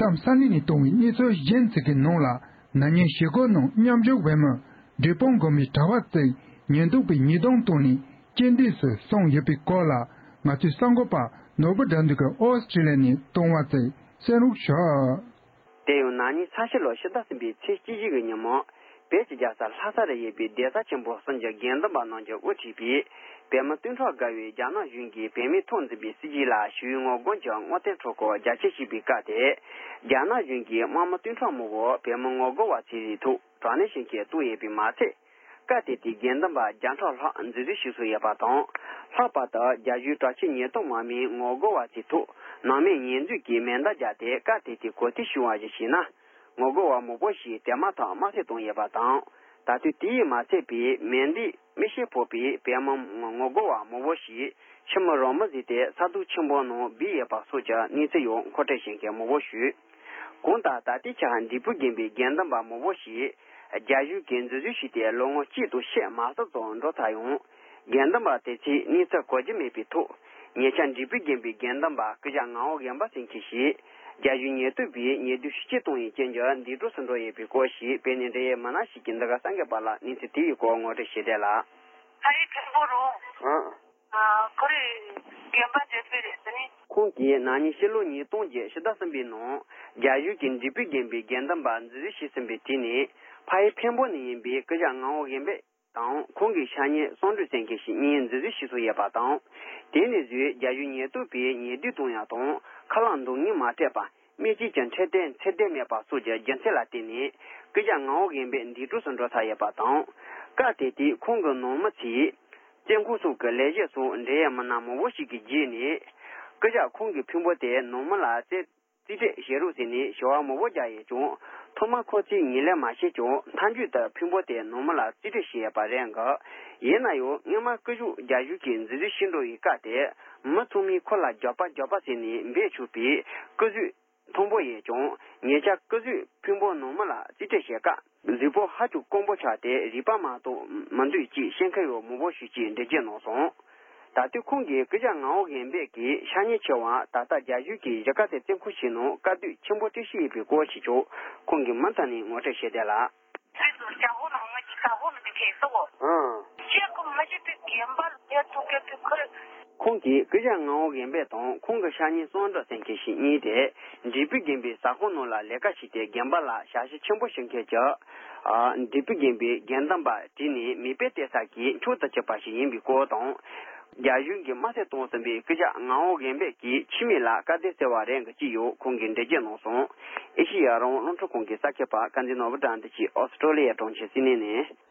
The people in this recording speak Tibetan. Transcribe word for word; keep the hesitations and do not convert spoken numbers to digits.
ཏམ་ས་ནི་ནས་གཏོང་བའི་གནས་ཚུལ་གཞན་ཞིག་གི་ནང་ལ། ན་ནིང་ཞི་རྒོལ་ནང་མཉམ་ཞུགས་བོད་མི་འབྲས་སྤུངས་དགོན་པའི་གྲྭ་པ་ཚོས་ཉེན་རྟོག་པའི་ཉེས་རྡུང་བཏང་ནས་རྐྱེན་འདས་སུ་སོང་ཡོད་པའི་སྐོར་ལ། ང་ཚོའི་གསར་འགོད་པ་ནོར་བུ་དགྲ་འདུལ་གྱིས་ཨོ་སི་ཀྲི་ལི་ཡ་ནས་བཏང་བ་ཚོས་གསན་རོགས་ཞུ། དེ་ཡང་ན་ནིང་ས་ཕྱི་ལོ་ཕྱི་ཟླ་གསུམ་པའི་ཚེས་བཅུ་བཞི་གི་ཉིན་མོ། བོད་ཀྱི་རྒྱལ་ས་ལྷ་ས་རུ་ཡོད་པའི་གདན་ས་ཆེན་པོ་གསུམ་གྱི་དགེ་འདུན་པ་རྣམས་ཀྱིས་དབུ་ཁྲིད་པའི་བོད་མི་སྟོང་ཕྲག་བརྒལ་བས་རྒྱ་ནག་གཞུང་གིས་བོད་མིའི་ཐོག་འཛིན་པའི་སྲིད་བྱུས་ལ་ཞི་བའི་ངོ་རྒོལ་གྱི་དངོས་བསྟན་སྤྲོ་སྐུལ་རྒྱ་སྐྱེད་བྱས་པའི་སྐབས་དེར། རྒྱ་ནག་གཞུང་གིས་དམག་མི་སྟོང་ཕྲག་མང་པོ་བོད་མི་ངོ་རྒོལ་བ་ཚོའི་རིགས་ཐོག་དྲག་གནོན་བྱེད་མཁན་བཏང་ཡོད་པས་མ་ཚད། སྐབས་དེ་དུས་དགེ་འདུན་པ་བརྒྱ་ཕྲག་ལྷག་འཛིན་བཟུང་བྱས་སོང་ཡོད་པ་དང་། ལྷག་པར་དུ་རྒྱ་གཞུང་དྲག་ཆས་ཉེན་རྟོག་དམག་མིས་ངོ་རྒོལ་བ་ཚོའི་ཐོག་ནང་མིས་ཉེས་འཛུགས་ཀྱིས་མེ་མདའ་བརྒྱབ་སྟེ། སྐབས་དེ་དུས་གོ་ཐོས་བྱུང་བ་ཞིག་བྱས་ན། ངོ་རྒོལ་བ་མང་པོ་ཞིག་དེ་མ་ཐག་དམར་གསོད་བཏང་ཡོད་པ་དང་། ད་དུང་དེ་ཡིས་མ་ཚད་པའི་མེ་མདའི་མེ་ཤེད་ཕོག་པའི་བོད་མི་ངོ་རྒོལ་བ་མང་པོ་ཞིག་ཁྱིམ་རང་མི་བཟོས་ཏེ་ས་རྡོ་ཆེན་པོའི་ནང་སྦས་ཡོད་པ་སོགས་ཀྱི་གནས་ཚུལ་ཡང་མཁོ་སྤྲོད་བྱེད་མཁན་མང་པོ་ཞིག་གང་ལྟར་ད་ལྟའི་ཆར་འབྲས་སྤུངས་དགོན་པའི་དགེ་འདུན་པ་མང་པོ་ཞིག་རྒྱ་གཞུང་གིས་འཛིན་བཟུང་བྱས་ཏེ་ལོ་ངོ་གཅིག་དང་ཕྱེད་མ་ཟིན་ཙམ་འགྲོ་ཚར་ཡང་། དགེ་འདུན་པ་དེ་ཚོས་གནས་ཚུལ་གོ་རྒྱུ་མེད་པའི་ཐོག་ཉེ་ཆར་འབྲས་སྤུངས་དགོན་པའི་དགེ་འདུན་པ་སྐུ་ཞབས་ངག་དབང་རྒན་པ་ཟེར་མཁན་ཞིག་རྒྱ་གཞུང་ཉེན་རྟོག་པས་ཉེས་རྡུང་ཤུགས་ཆེ་བཏང་བའི་རྐྱེན་གྱིས་འདས་གྲོངས་སུ་འགྲོ་ཡོད་པའི་སྐོར་ཞིག་བོད་ནས་འབྲེལ་ཡོད་མི་སྣ་ཞིག་གིས་འདི་ག་གསར་འགོད་པ་ལ་གནས་ཚུལ་དེའི་སྐོར་ངོ་སྤྲོད་བྱས་བསྡད་ལ། ཨ་ཡེ་མཁན་པོ་རུ། ཨ། ཨ། ཁོ་རེ་དགོན་པ་འབྲས་སྤུངས་རེད་ཟེར་ནས། ཁོང་གིས་ན་ནིང་ཕྱི་ལོ་ཉིས་སྟོང་བརྒྱད་ཕྱི་ཟླ་གསུམ་པའི་ནང་རྒྱ་གཞུང་གིས་འབྲས་སྤུངས་དགོན་པའི་དགེ་འདུན་པ་འཛིན་བཟུང་བྱས་ཟིན་པའི་དུས་ནས་ཕ་ཡུལ་འཕན་པོ་ནས་ཡིན་པའི་སྐུ་ཞབས་ངག་དབང་དབེན་པད་དང་ཁོང་གི་ཤ་ཉེ་བསམ་གྲུབ་ཟེར་མཁན་ཞིག་གཉིས་འཛིན་བཟུང་བྱས་སོང་ཡོད་པ་དང་། དེ་ནས་བཟུང་རྒྱ་གཞུང་ཉེན་རྟོག་པས་ཉེས་རྡུང་གཏོང་ཡག་དང་ཁ་ལག་འདང་ངེས་མ་སྤྲད་པ། སྨན་བཅོས་ཀྱི་འཕྲོད་བསྟེན་ཚད་ལྡན་མེད་པ་སོགས་ཀྱི་རྒྱུ་མཚན་ལ་བརྟེན་ནས་སྐུ་ཞབས་ངག་དབང་དབེན་པད་འདས་གྲོངས་སུ་འགྲོ་ཚར་ཡོད་པ་དང་། སྐབས་དེ་དུས་ཁོང་གི་ནང་མི་ཚོས་བཙོན་ཁང་སོགས་ཀྱི་ལས་བྱེད་སོགས་འབྲེལ་ཡོད་མི་སྣ་མང་པོ་ཞིག་གི་བརྒྱུད་ནས་སྐུ་ཞབས་ཁོང་གི་ཕུང་པོ་དེ་ནང་མི་ལ་རྩིས་རྩིས་སྤྲོད་བྱེད་རོགས་ཟེར་ནས་ཞུ་བ་མང་པོ་བརྒྱབ་ཡོད་ཀྱང་། ཐོག་མར་ཁོ་ཚོས་ངོས་ལེན་མ་བྱས་ཀྱང་། མཐའ་མཇུག་ཏུ་ཕུང་པོ་དེ་ནང་མི་ལ་རྩིས་སྤྲོད་བྱས་ཡོད་པ་རེད་འདུག་ཡིན་ན་ཡང་སྔོན་མ་སྐུ་ཞབས་རྒྱ་གཞུང་གིས་འཛིན་བཟུང་བྱས་འགྲོ་བའི་སྐབས་དེ། མི་ཚང་མས་ཁོ་ལ་རྒྱགས་པ་རྒྱགས་པ་ཟེར་ནས་འབོད་ཆོག་པའི་སྐུ་གཟུགས་མཐོན་པོ་ཡོད་ཀྱང་། ཉེ་ཆར་སྐུ་གཟུགས་ཕུང་པོ་ནང་མི་ལ་རྩིས་སྤྲོད་བྱེད་སྐབས། གཟུགས་པོ་ཧ་ཅང་སྐམ་པོ་ཆགས་ཏེ་རུས་པ་མ་གཏོགས་མི་འདུག་ཅེས་བཤད་མཁན་ཡང་མང་པོ་ཞིག་གིས་འགྲེལ་བརྗོད་གནང་སོང་། ད་དུང་ཁོང་གིས་སྐུ་ཞབས་ངག་དབང་དབེན་པད་ཀྱི་ཤ་ཉེ་ཆེ་བ་ད་ལྟ་རྒྱ་གཞུང་གིས་གཞིས་ཀ་རྩེ་བཙོན་ཁང་ཞིག་ནང་དཀའ་སྡུག་ཆེན་པོ་སྤྲོད་བཞིན་ཡོད་པའི་སྐོར་ཞིག་ཀྱང་ཁོང་གིས་མུ་མཐུད་ནས་ངོ་སྤྲོད་བྱས་བསྡད་ལ། ཁྱེད་ཚོ་ཇ་ཧོ་ནང་ང་ཅིག་ཇ་ཧོ་ནང་དེ་ཁེ་སོ་གོ་ཨང་། ཁྱེད་ཀྱི་མི་ཞིག་དེ་རྒན་པ་ལ་ཐུག་གི་དུས་ཁུར། ཁོང་གིས་སྐུ་ཞབས་ངག་དབང་དབེན་པད་དང་ཁོང་གི་ཤ་ཉེ་བསམ་གྲུབ་ཟེར་མཁན་ཞིག་གཉིས་དེ་འབྲས་སྤུངས་དགོན་པའི་ཟ་ཁང་ནང་ལ་ལས་ཀ་བྱས་ཏེ་རྒན་པ་ལ་ཞབས་ཕྱི་ཆེན་པོ་ཞུ་མཁན་གྱི་ཨ་འབྲས་སྤུངས་དགོན་པའི་དགེ་འདུན་པ་བྲོས་ནས་མེ་སྤོས་སྟེར་ས་གི་མཆོག་ཏུ་གྱུར་པ་ཞིག་ཡིན་པའི་སྐོར་དང་། རྒྱ་གཞུང་གིས་དམར་གསོད་བཏང་ཟིན་པའི་སྐུ་ཞབས་ངག་དབང་དབེན་པད་ཀྱི་ཁྱིམ་མི་ལ་དཀའ་སྡུག་སྟེར་བ་རེད་འདུག་ཅེས་ཡང་ཁོང་གིས་འགྲེལ་བརྗོད་གནང་སོང་། ཨེ་ཤེ་ཡ་རང་དབང་རླུང་འཕྲིན་ཁང་གི་གསར་འགོད་པ་དཀར་མཛེས་ནོར་བུ་དགྲ་འདུལ་གྱིས་ཨོ་སི་ཀྲོ་ལི་ཡའི་གྲོང་ཁྱེར་སིད་ནི་ནས།